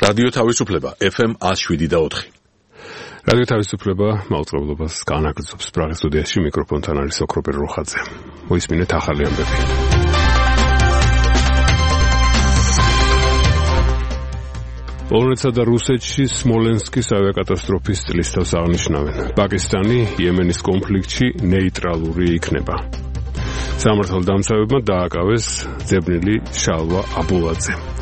რადიო თავისუფლება FM 107.4. რადიო თავისუფლება მაუწყებლობას განაგრძობს. პრაღის სტუდიაში მიკროფონთან არის ოქროპერ როხაძე. მოისმინეთ ახალი ამბები. პოლონეთსა და რუსეთში სმოლენსკის ავიაკატასტროფის წლისთავს აღნიშნავენ. პაკისტანი იემენის კონფლიქტში ნეიტრალური იქნება. სამართალდამცავებმა დააკავეს ძებნილი შალვა აბულაძე.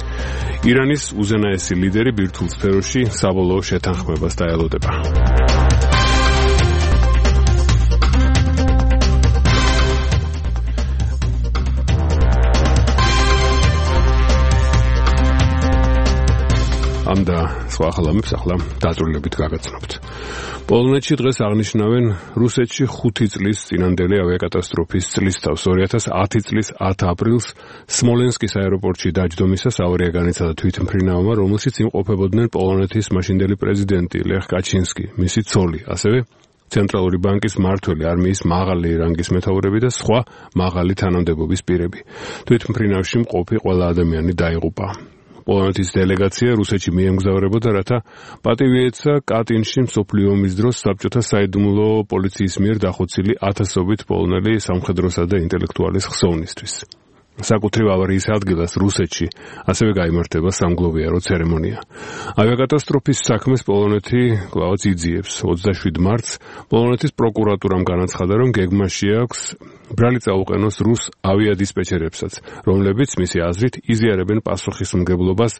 ირანის უზენაესი ლიდერი ბირთვულ სფეროში საბოლოო შეთანხმებას დაელოდება. ამ და სხვა ახალამებს ახლა დაწვრილებით გაგაცნობთ. პოლონეთში დღეს აღნიშნავენ რუსეთში 5 წლის წინანდელი ავიაკატასტროფის წლისთავს. 2010 წლის 10 აპრილს სმოლენსკის აეროპორტში დაჯდომისას ავარია განიცადა თვითმფრინავმა, რომელშიც იმყოფებოდნენ პოლონეთის მაშინდელი პრეზიდენტი ლეხ კაჩინსკი, მისი ცოლი, ასევე ცენტრალური ბანკის მმართველი, არმიის მაღალი რანგის მეთაურები და სხვა მაღალი თანამდებობის პირები. თვითმფრინავში მყოფი ყველა ადამიანი დაიღუპა. პოლონეთის დელეგაცია რუსეთში მიემგზავრებოდა, რათა პატივი ეცა კატინში მსოფლიო ომის დროს საბჭოთა საიდუმლო პოლიციის მიერ დახოცილი ათასობით პოლონელი სამხედროსა და ინტელექტუალის ხსოვნისთვის. საკუთრივ ავარიის ადგილას რუსეთში ასევე გაიმართება სამგლოვიარო ცერემონია. ავიაკატასტროფის საქმეს პოლონეთი კვლავაც იძიებს. 27 მარტს პოლონეთის პროკურატურამ განაცხადა, რომ გეგმაში აქვს ბრალი წაუყენოს რუს ავიადისპეჩერებსაც, რომლებიც მისი აზრით იზიარებენ პასუხისმგებლობას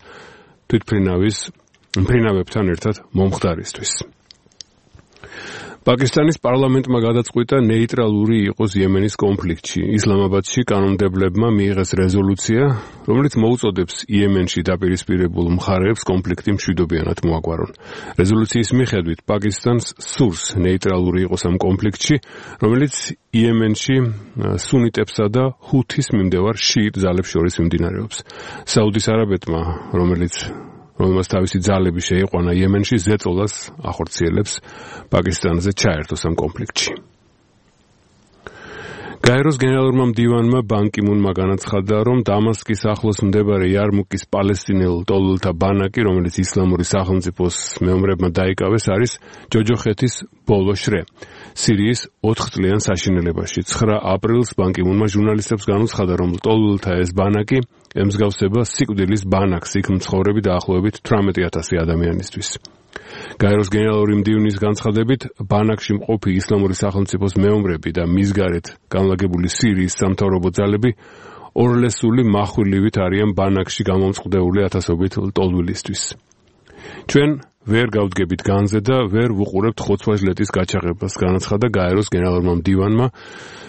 თვითმფრინავებთან ერთად მომხდარისთვის. პაკისტანის პარლამენტმა გადაწყვიტა ნეიტრალური იყოს იემენის კონფლიქტში. ისლამაბადში კანონმდებლებმა მიიღეს რეზოლუცია, რომელიც მოუწოდებს იემენში დაპირისპირებულ მხარეებს კონფლიქტი მშვიდობიანად მოაგვარონ. რეზოლუციის მიხედვით პაკისტანს სურს ნეიტრალური იყოს ამ კონფლიქტში, რომელიც იემენში სუნიტებსა და ჰუთის მიმდევარ შიიტ ძალებს შორის მიმდინარეობს. საუდის არაბეთმა, რომელმაც თავისი ძალები შეიყვანა იემენში, ზეწოლას ახორციელებს პაკისტანზე ჩაერთოს ამ კონფლიქტში. გაეროს გენერალურმა მდივანმა ბან კი მუნმა განაცხადა, რომ დამასკის ახლოს მდებარე იარმუკის პალესტინელ ტოლულთა ბანაკი, რომელიც ისლამური სახელმწიფოს მეომრებმა დაიკავეს, არის ჯოჯოხეთის ბოლო შრე. სირიის 4 წლიან საშინელებაში. 9 აპრილს ბან კი მუნმა ჟურნალისტებს განუცხადა, რომ ტოლულთა ეს ბანაკი ემსგავსება სიკვდილის ბანაკს, იქ მცხოვრები დაახლოებით 18,000 ადამიანისთვის. გაეროს გენერალური მდივნის განცხადებით, ბანაკში მყოფი ისლამური სახელმწიფოს მეომრები და მის გარეთ განლაგებული სირიის სამთავრობო ძალები ორლესული מחვილივით არიან ბანაკში გამომწყდეული ათასობით ლტოლვილისთვის. ჩვენ ვერ გავდგებით განზე და ვერ ვუყურებთ ხოცვა-ჟლეტის გაჩაღებას, განაცხადა გაეროს გენერალურმა მდივანმა.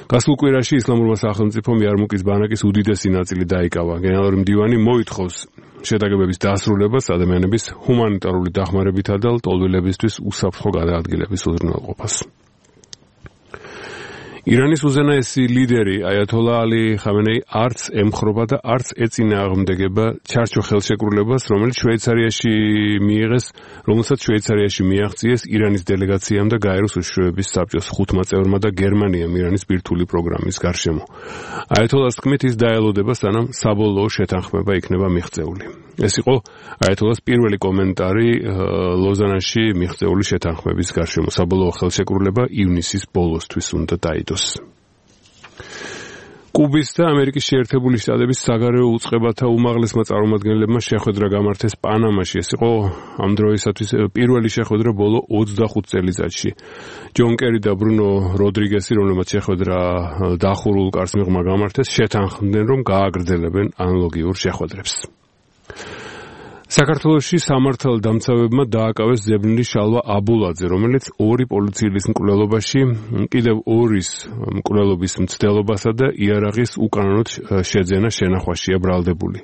გასულ კვირაში ისლამურმა სახელმწიფომ იარმუკის ბანაკის უდიდესი ნაწილი დაიკავა. გენერალური მდივანი მოითხოვს შეტაკებების დასრულებას, ადამიანების ჰუმანიტარული დახმარებითა და ლტოლვილებისთვის უსაფრთხო გადაადგილების უზრუნველყოფას. ირანის უზენაესი ლიდერი აიათოლა ალი ხამენეი არც ემხრობა და არც ეწინააღმდეგება ჩარჩო ხელშეკრულებას, რომელსაც შვეიცარიაში მიაღწიეს ირანის დელეგაციამ და გაეროს უშიშროების საბჭოს 5 წევრმა და გერმანიამ ირანის ბირთვული პროგრამის გარშემო. აიათოლას თქმით, ის დაელოდება, სანამ საბოლოო შეთანხმება იქნება მიღწეული. ეს იყო აიათოლას პირველი კომენტარი ლოზანაში მიღწეული შეთანხმების გარშემო. საბოლოო ხელშეკრულება ივნისის ბოლოსთვის უნდა დაიდოს. კუბის და ამერიკის შეერთებული შტატების საგარეო უწყებათა უმაღლესმა წარმომადგენლებმა შეხვედრა გამართეს პანამაში. ეს იყო ამ დროისათვის პირველი შეხვედრა ბოლო 25 წელიწადში. ჯონ კერი და ბრუნო როდრიგესი, რომლებმაც შეხვედრა დახურულ კარს მიღმა გამართეს, შეთანხმდნენ, რომ გააგრძელებენ ანალოგიურ შეხვედრებს. საქართველოში სამართალდამცავებმა დააკავეს ძებნილი შალვა აბულაძე, რომელიც 2 პოლიციის მკვლელობაში, კიდევ 2-ის მკვლელობის მცდელობასა და იარაღის უკანონოდ შეძენა შენახვაშია ბრალდებული.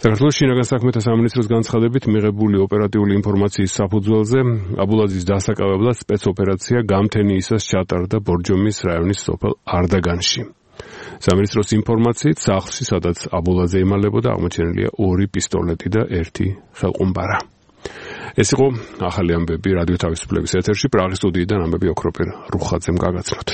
საქართველოს შინაგან საქმეთა სამინისტროს განცხადებით, მიღებული ოპერატიული ინფორმაციის საფუძველზე აბულაძის დასაკავებლად სპეცოპერაცია გამთენიისას ჩატარდა ბორჯომის რაიონის სოფელ არდაგანში. სამინისტროს ინფორმაციით, სახლში, სადაც აბულაძე იმალებოდა, აღმოჩენილია 2 პისტოლეტი და 1 ხელყუმბარა. ეს იყო ახალი ამბები რადიო თავისუფლების ეთერში, პრაღის სტუდიიდან ამბები ოქროპერ რუხაძემ გაგაცნოთ.